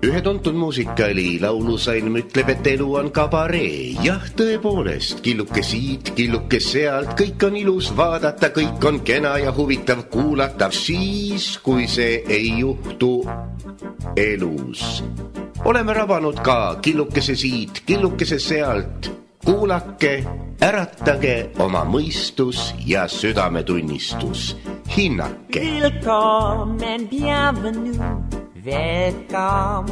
Ühe tuntud muusikaali laulusalm ütleb, et elu on kabaree. Jah, tõepoolest, killuke siit, killuke sealt, kõik on ilus vaadata, kõik on kena ja huvitav kuulata, siis kui see ei juhtu elus. Oleme rabanud ka killukese siit, killukese sealt. Kuulake, äratage oma mõistus ja südametunnistus. Hinnake. Willkommen, bienvenue. Welcome,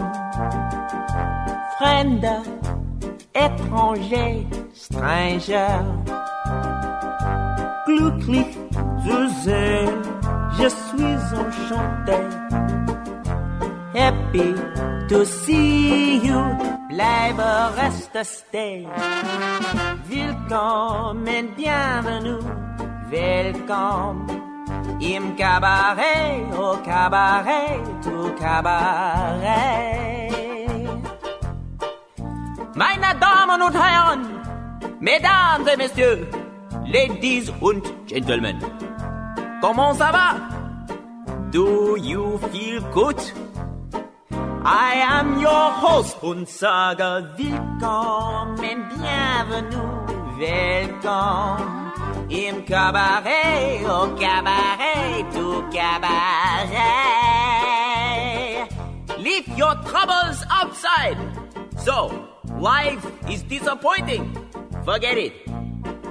Fremder, étranger, stranger. Glücklich zu sehen, je suis enchanté. Happy to see you, bleibe, reste, stay. Willkommen, bienvenue, welcome. Im Cabaret, au Cabaret, tout Cabaret. Meine Damen und Herren, Mesdames et Messieurs, Ladies und Gentlemen, comment ça va? Do you feel good? I am your host und sage willkommen, bienvenue, welcome. Im Cabaret, au Cabaret, tout Cabaret. Leave your troubles outside. So, life is disappointing. Forget it.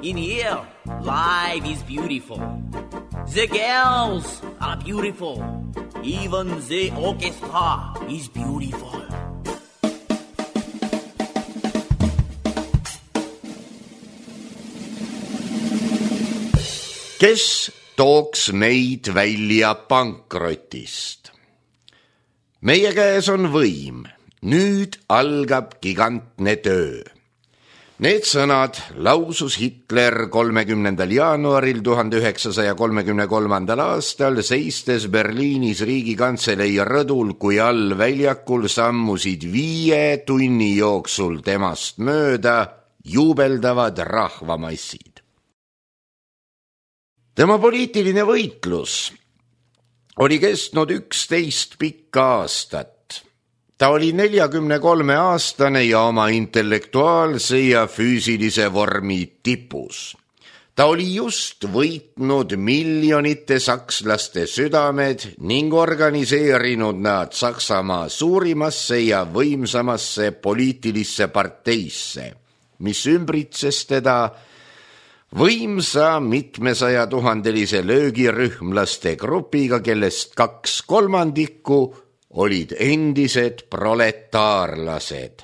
In here, life is beautiful. The girls are beautiful. Even the orchestra is beautiful. Kes tooks meid välja pankrotist? Meie käes on võim. Nüüd algab gigantne töö. Need sõnad lausus Hitler 30. jaanuaril 1933. aastal seistes Berliinis riigikantselei rõdul, kui all väljakul sammusid 5 tunni jooksul temast mööda juubeldavad rahvamassid. Tema poliitiline võitlus oli kestnud 11 pikka aastat. Ta oli 43-aastane ja oma intellektuaalse ja füüsilise vormi tipus. Ta oli just võitnud miljonite sakslaste südamed ning organiseerinud nad Saksamaa suurimasse ja võimsamasse poliitilisse parteisse, mis ümbritses teda võimsa 700-000-lise löögirühmlaste grupiga, kellest 2/3 olid endised proletaarlased.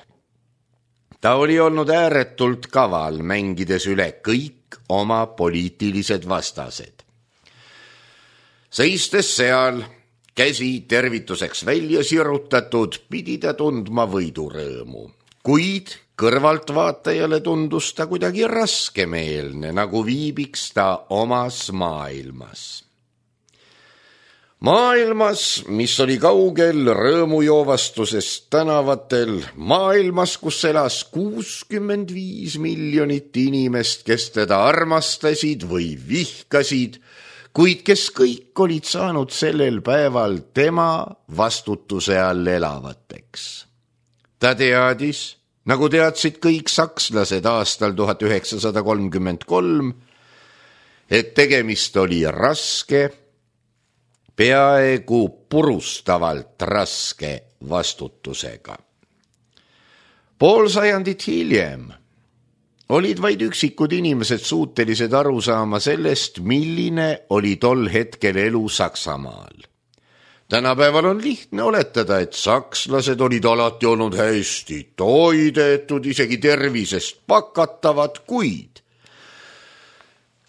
Ta oli olnud ääretult kaval, mängides üle kõik oma poliitilised vastased. Seistes seal, käsi tervituseks välja sirutatud, pidi ta tundma võidurõõmu, kuid kõrvaltvaatajale tundus ta kuidagi raskemeelne, nagu viibiks ta omas maailmas. Maailmas, mis oli kaugel rõõmujoovastusest tänavatel, maailmas, kus elas 65 miljonit inimest, kes teda armastasid või vihkasid, kuid kes kõik olid saanud sellel päeval tema vastutuse all elavateks. Ta teadis, nagu teadsid kõik sakslased aastal 1933, et tegemist oli raske, peaaegu purustavalt raske vastutusega. Pool sajandit hiljem olid vaid üksikud inimesed suutelised aru saama sellest, milline oli tol hetkel elu Saksamaal. Tänapäeval on lihtne oletada, et sakslased olid alati olnud hästi toidetud, isegi tervisest pakatavad, kuid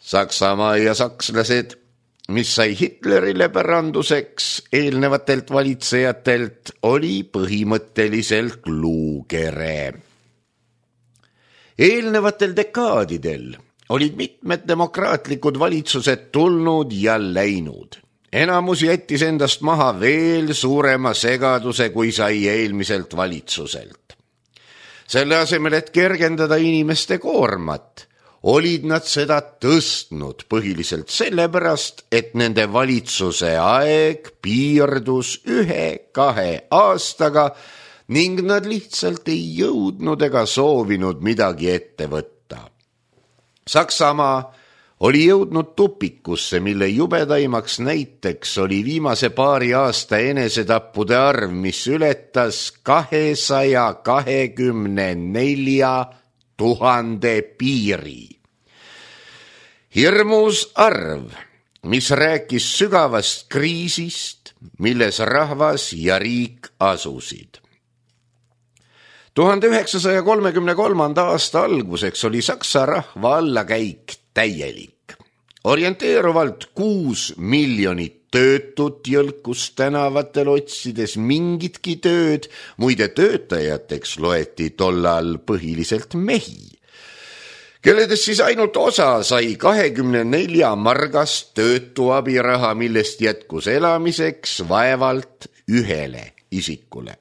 Saksamaa ja sakslased, mis sai Hitlerile päranduseks eelnevatelt valitsejatelt, oli põhimõtteliselt luukere. Eelnevatel dekaadidel olid mitmed demokraatlikud valitsused tulnud ja läinud. Enamus jättis endast maha veel suurema segaduse, kui sai eelmiselt valitsuselt. Selle asemel, et kergendada inimeste koormat, olid nad seda tõstnud põhiliselt sellepärast, et nende valitsuse aeg piirdus 1-2 aastaga ning nad lihtsalt ei jõudnud ega soovinud midagi ette võtta. Saksamaa oli jõudnud tupikusse, mille jubedaimaks näiteks oli viimase paari aasta enesetappude arv, mis ületas 224 000 piiri. Hirmus arv, mis rääkis sügavast kriisist, milles rahvas ja riik asusid. 1933. aasta alguseks oli Saksa rahva allakäik täielik. Orienteeruvalt 6 miljonit töötut jõlkus tänavatel otsides mingitki tööd, muide töötajateks loeti tollal põhiliselt mehi, kelledest siis ainult osa sai 24 margast töötu abiraha, millest jätkus elamiseks vaevalt 1 isikule.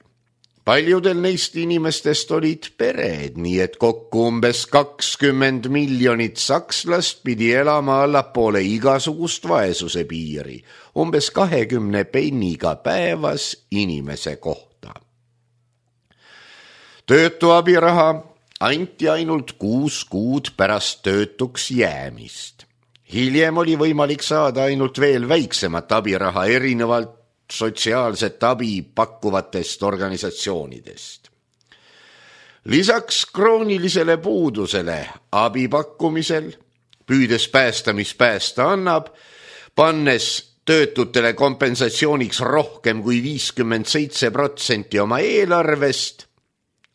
Paljudel neist inimestest olid pered, nii et kokku umbes 20 miljonit sakslast pidi elama allapoole igasugust vaesuse piiri, umbes 20 penniga päevas inimese kohta. Töötu abiraha anti ainult 6 kuud pärast töötuks jäämist. Hiljem oli võimalik saada ainult veel väiksemat abiraha erinevalt sotsiaalset abi pakkuvatest organisatsioonidest. Lisaks kroonilisele puudusele abi pakkumisel, püüdes päästa, mis päästa annab, pannes töötutele kompensatsiooniks rohkem kui 57% oma eelarvest,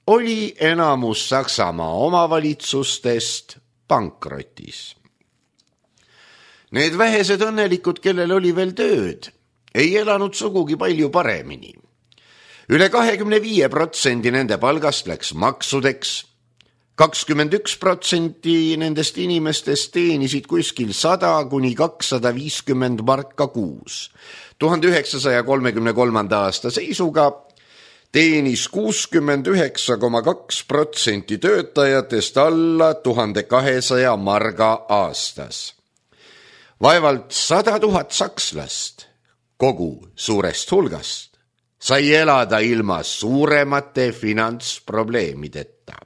oli enamus Saksamaa omavalitsustest pankrotis. Need vähesed õnnelikud, kellel oli veel tööd, ei elanud sugugi palju paremini. Üle 25% nende palgast läks maksudeks, 21% nendest inimestest teenisid kuskil 100 kuni 250 marka kuus. 1933. aasta seisuga teenis 69,2% töötajatest alla 1200 marga aastas. Vaevalt 100 000 sakslast kogu suurest hulgast sai elada ilma suuremate finantsprobleemideta.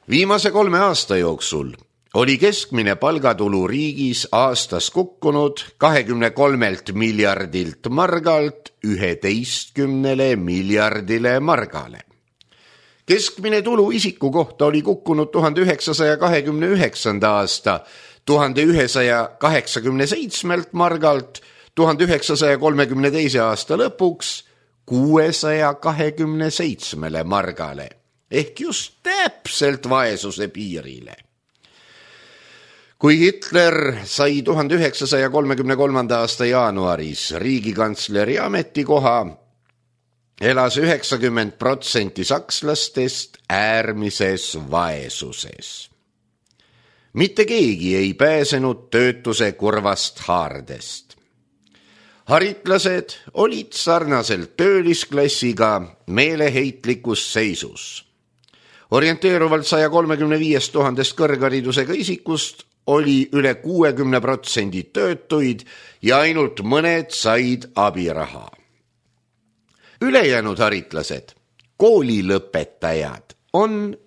Viimase 3 aasta jooksul oli keskmine palgatulu riigis aastas kukkunud 23 miljardilt margalt 11 miljardile margale. Keskmine tulu isiku kohta oli kukkunud 1929. aasta 1187 margalt 1932. aasta lõpuks 627 margale, ehk just täpselt vaesuse piirile. Kui Hitler sai 1933. aasta jaanuaris riigikantsleri ametikoha, elas 90% sakslastest äärmises vaesuses. Mitte keegi ei pääsenud töötuse kurvast haardest. Haritlased olid sarnaselt töölisklassiga meeleheitlikus seisus. Orienteeruvalt 135 000 kõrgharidusega isikust oli üle 60% töötuid ja ainult mõned said abiraha. Ülejäänud haritlased, koolilõpetajad,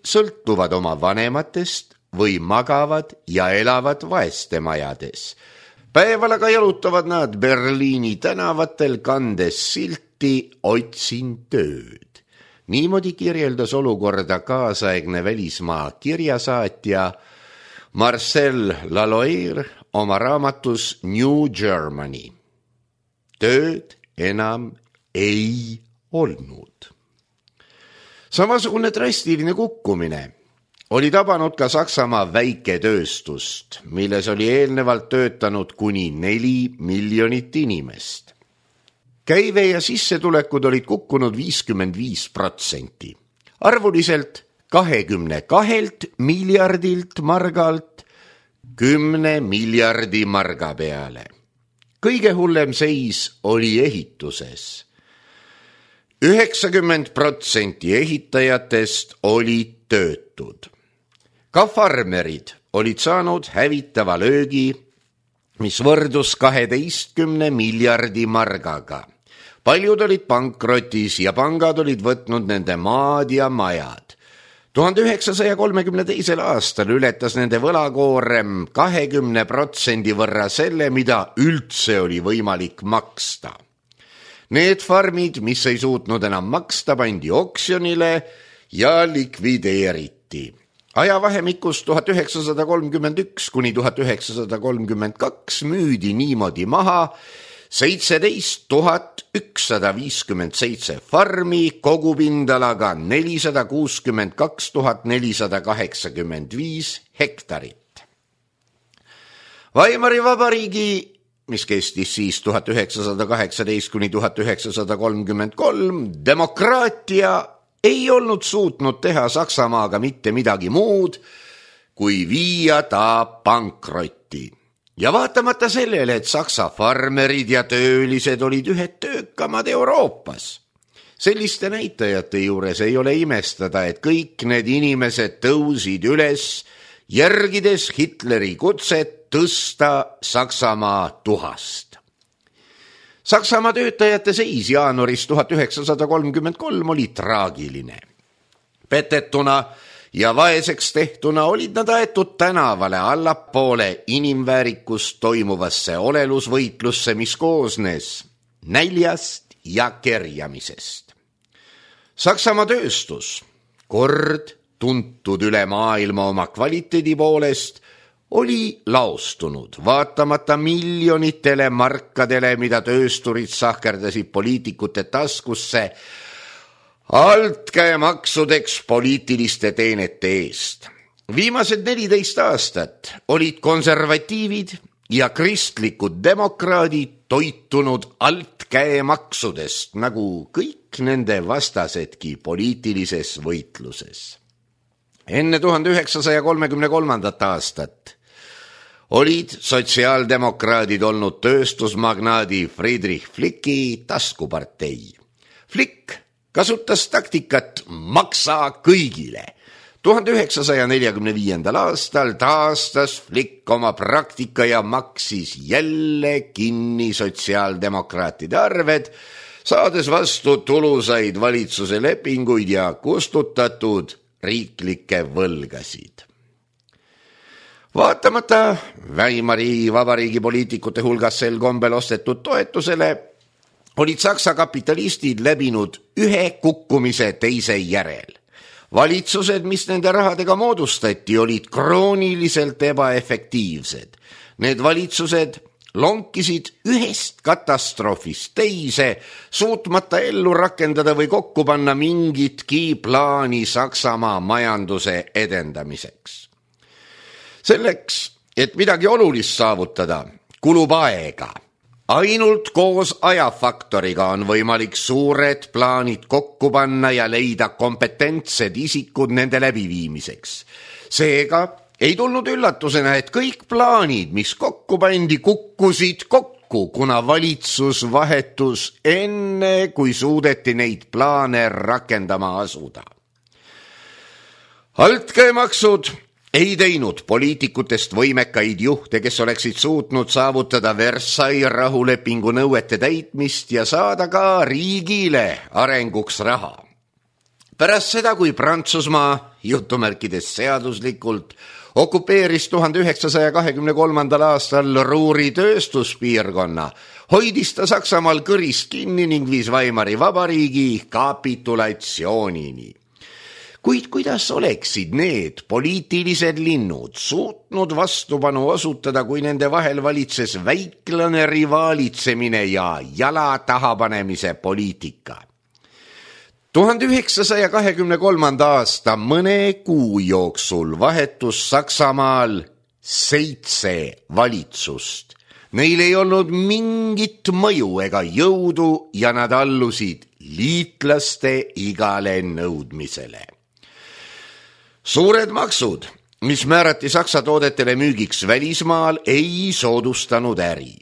sõltuvad oma vanematest või magavad ja elavad vaeste majades. Päeval aga jalutavad nad Berliini tänavatel kandes silti "Otsin tööd". Niimoodi kirjeldas olukorda kaasaegne välismaa kirjasaatja Marcel Laloir oma raamatus New Germany. Tööd enam ei olnud. Samasugune drastiline kukkumine oli tabanud ka Saksamaa väiketööstust, milles oli eelnevalt töötanud kuni 4 miljonit inimest. Käive ja sissetulekud olid kukkunud 55%. Arvuliselt 22 miljardilt margalt 10 miljardi marga peale. Kõige hullem seis oli ehituses. 90% ehitajatest olid töötud. Ka farmerid olid saanud hävitava löögi, mis võrdus 12 miljardi margaga. Paljud olid pankrotis ja pangad olid võtnud nende maad ja majad. 1932. aastal ületas nende võlakoorem 20% võrra selle, mida üldse oli võimalik maksta. Need farmid, mis ei suutnud enam maksta, pandi oksjonile ja likvideeriti. Ajavahemikus 1931 kuni 1932 müüdi niimoodi maha 17 157 farmi kogupindalaga 462 485 hektarit. Weimari Vabariigi, mis kestis siis 1918 kuni 1933, demokraatia ei olnud suutnud teha Saksamaaga mitte midagi muud, kui viia ta pankrotti. Ja vaatamata sellele, et Saksa farmerid ja töölised olid ühed töökamad Euroopas. Selliste näitajate juures ei ole imestada, et kõik need inimesed tõusid üles, järgides Hitleri kutset tõsta Saksamaa tuhast. Saksamaa töötajate seis jaanuaris 1933 oli traagiline. Petetuna ja vaeseks tehtuna olid nad aetud tänavale allapoole inimväärikust toimuvasse olelusvõitlusse, mis koosnes näljast ja kerjamisest. Saksamaa tööstus, kord tuntud üle maailma oma kvaliteedi poolest, oli laostunud, vaatamata miljonitele markadele, mida töösturid sahkerdasid poliitikute taskusse, altkäemaksudeks poliitiliste teenete eest. Viimased 14 aastat olid konservatiivid ja kristlikud demokraadid toitunud altkäemaksudest, nagu kõik nende vastasedki poliitilises võitluses. Enne 1933. aastat olid sotsiaaldemokraadid olnud tööstusmagnaadi Friedrich Flicki taskupartei. Flick kasutas taktikat maksa kõigile. 1945. aastal taastas Flick oma praktika ja maksis jälle kinni sotsiaaldemokraatide arved, saades vastu tulusaid valitsuse lepinguid ja kustutatud riiklikke võlgasid. Vaatamata Weimari Vabariigi poliitikute hulgas sel kombel ostetud toetusele, olid Saksa kapitalistid läbinud ühe kukkumise teise järel. Valitsused, mis nende rahadega moodustati, olid krooniliselt ebaefektiivsed. Need valitsused lonkisid ühest katastroofist teise, suutmata ellu rakendada või kokku panna mingitki plaani Saksamaa majanduse edendamiseks. Selleks, et midagi olulist saavutada, kulub aega. Ainult koos ajafaktoriga on võimalik suured plaanid kokku panna ja leida kompetentsed isikud nende läbiviimiseks. Seega ei tulnud üllatusena, et kõik plaanid, mis kokku pandi, kukkusid kokku, kuna valitsus vahetus enne, kui suudeti neid plaane rakendama asuda. Altkäemaksud ei teinud poliitikutest võimekaid juhte, kes oleksid suutnud saavutada Versailles rahulepingu nõuete täitmist ja saada ka riigile arenguks raha. Pärast seda, kui Prantsusmaa, jutumärkides seaduslikult, okupeeris 1923. aastal Ruhri tööstuspiirkonna, hoidis ta Saksamaal kõrist kinni ning viis Weimari Vabariigi kapitulatsioonini. Kuid kuidas oleksid need poliitilised linnud suutnud vastupanu osutada, kui nende vahel valitses väiklane rivaalitsemine ja jala tahapanemise poliitika? 1923. aasta mõne kuu jooksul vahetus Saksamaal 7 valitsust. Neil ei olnud mingit mõju ega jõudu ja nad allusid liitlaste igale nõudmisele. Suured maksud, mis määrati Saksa toodetele müügiks välismaal, ei soodustanud äri.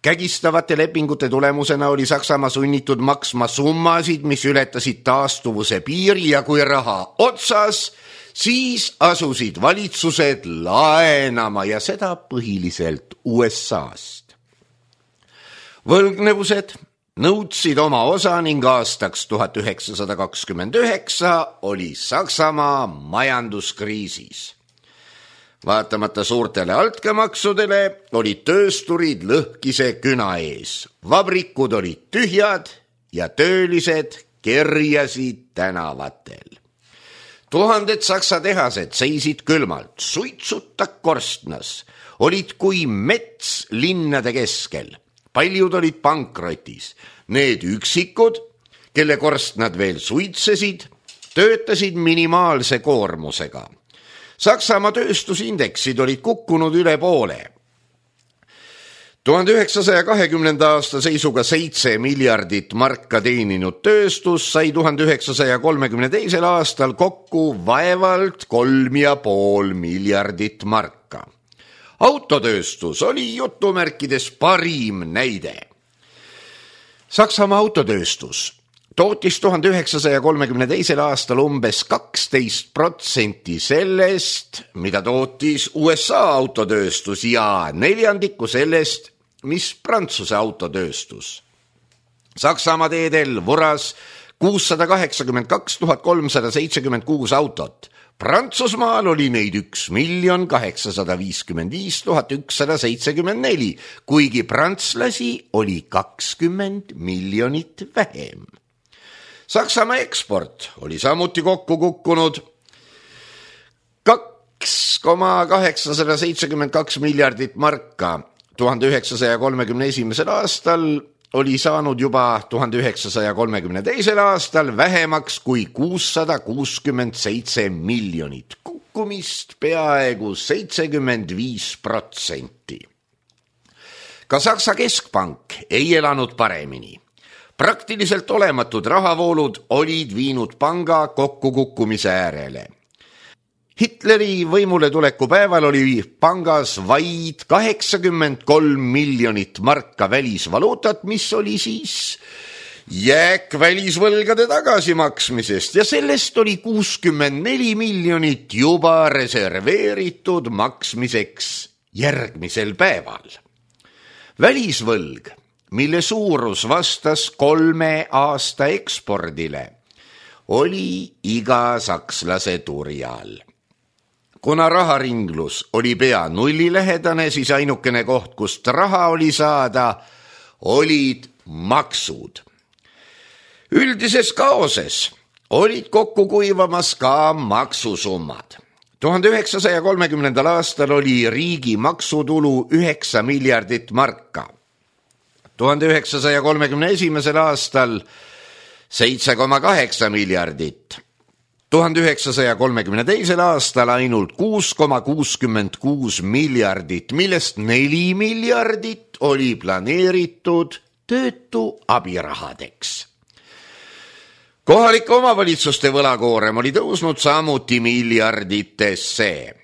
Kägistavate lepingute tulemusena oli Saksamaa sunnitud maksma summasid, mis ületasid taastuvuse piiri ja kui raha otsas, Siis asusid valitsused laenama ja seda põhiliselt USA-st. Võlgnevused nõudsid oma osa ning aastaks 1929 oli Saksamaa majanduskriisis. Vaatamata suurtele altkäemaksudele olid töösturid lõhkise küna ees. Vabrikud olid tühjad ja töölised kerjasid tänavatel. Tuhanded saksa tehased seisid külmalt, suitsuta korstnas, olid kui mets linnade keskel. Paljud olid pankrotis. Need üksikud, kelle korstnad veel suitsesid, töötasid minimaalse koormusega. Saksamaa tööstusindeksid olid kukkunud üle poole. 1920. aasta seisuga 7 miljardit marka teeninud tööstus sai 1932. aastal kokku vaevalt 3,5 miljardit marka. Autotööstus oli jutumärkides parim näide. Saksamaa autotööstus tootis 1932. aastal umbes 12% sellest, mida tootis USA autotööstus ja 1/4 sellest, mis Prantsuse autotööstus. Saksamaa teedel vuras 682 376 autot. Prantsusmaal oli neid 1 855 174, kuigi prantslasi oli 20 miljonit vähem. Saksamaa eksport oli samuti kokku kukkunud 2,872 miljardit marka. 1931. aastal oli saanud juba 1932. aastal vähemaks kui 667 miljonit, kukkumist peaaegu 75%. Ka Saksa keskpank ei elanud paremini. Praktiliselt olematud rahavoolud olid viinud panga kokkukukkumise äärele. Hitleri võimule tuleku päeval oli pangas vaid 83 miljonit marka välisvaluutat, mis oli siis jääk välisvõlgade tagasimaksmisest ja sellest oli 64 miljonit juba reserveeritud maksmiseks järgmisel päeval. Välisvõlg, mille suurus vastas 3 aasta ekspordile, oli iga sakslase turjal. Kuna raharinglus oli pea nullilähedane, siis ainukene koht, kust raha oli saada, olid maksud. Üldises kaoses olid kokku kuivamas ka maksusummad. 1930. aastal oli riigi maksutulu 9 miljardit marka. 1931. aastal 7,8 miljardit. 1932. aastal ainult 6,66 miljardit, millest 4 miljardit oli planeeritud töötu abirahadeks. Kohalike omavalitsuste võlakoorem oli tõusnud samuti miljarditesse.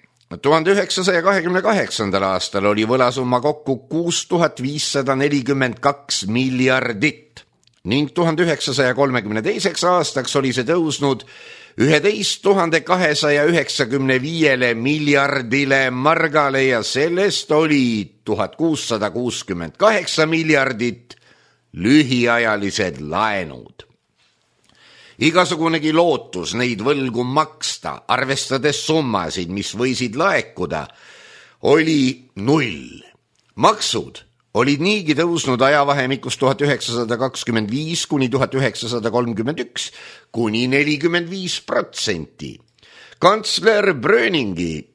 1928. aastal oli võlasumma kokku 6542 miljardit ning 1932. aastaks oli see tõusnud 11 295 miljardile margale ja sellest oli 1668 miljardit lühiajalised laenud. Igasugunegi lootus neid võlgu maksta, arvestades summasid, mis võisid laekuda, oli 0. Maksud olid niigi tõusnud ajavahemikus 1925 kuni 1931 kuni 45%. Kantsler Bröningi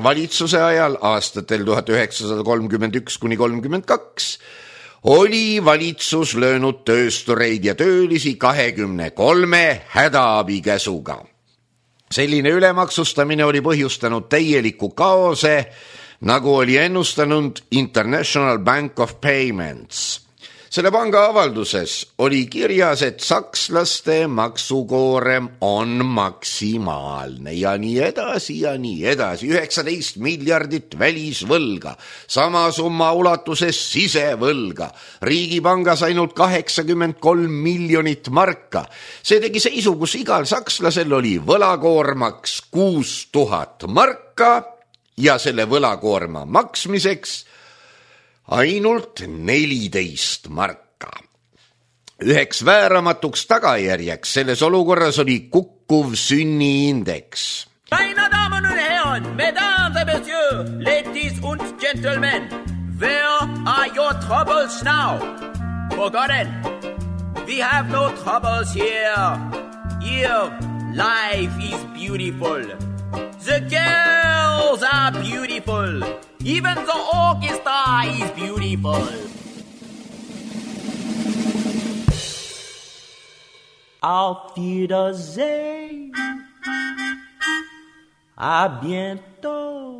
valitsuse ajal aastatel 1931 kuni 32 oli valitsus löönud tööstureid ja töölisi 23 hädaabikäsuga. Selline ülemaksustamine oli põhjustanud täieliku kaose, nagu oli ennustanud International Bank of Payments. Selle panga avalduses oli kirjas, et sakslaste maksukoorem on maksimaalne ja nii edasi ja nii edasi. 19 miljardit välisvõlga, sama summa ulatuses sisevõlga. Riigipangas ainult 83 miljonit marka. See tegi seisu, kus igal sakslasel oli võlakoormaks 6000 marka ja selle võlakoorma maksmiseks ainult 14 marka. Üheks vääramatuks tagajärjeks selles olukorras oli kukkuv sünniindeks. Meine Damen und Herren, Mesdames et Messieurs, ladies und gentlemen, where are your troubles now? Forgotten, we have no troubles here. Here, life is beautiful. The girls are beautiful. Even the orchestra is beautiful. Auf Wiedersehen. À bientôt.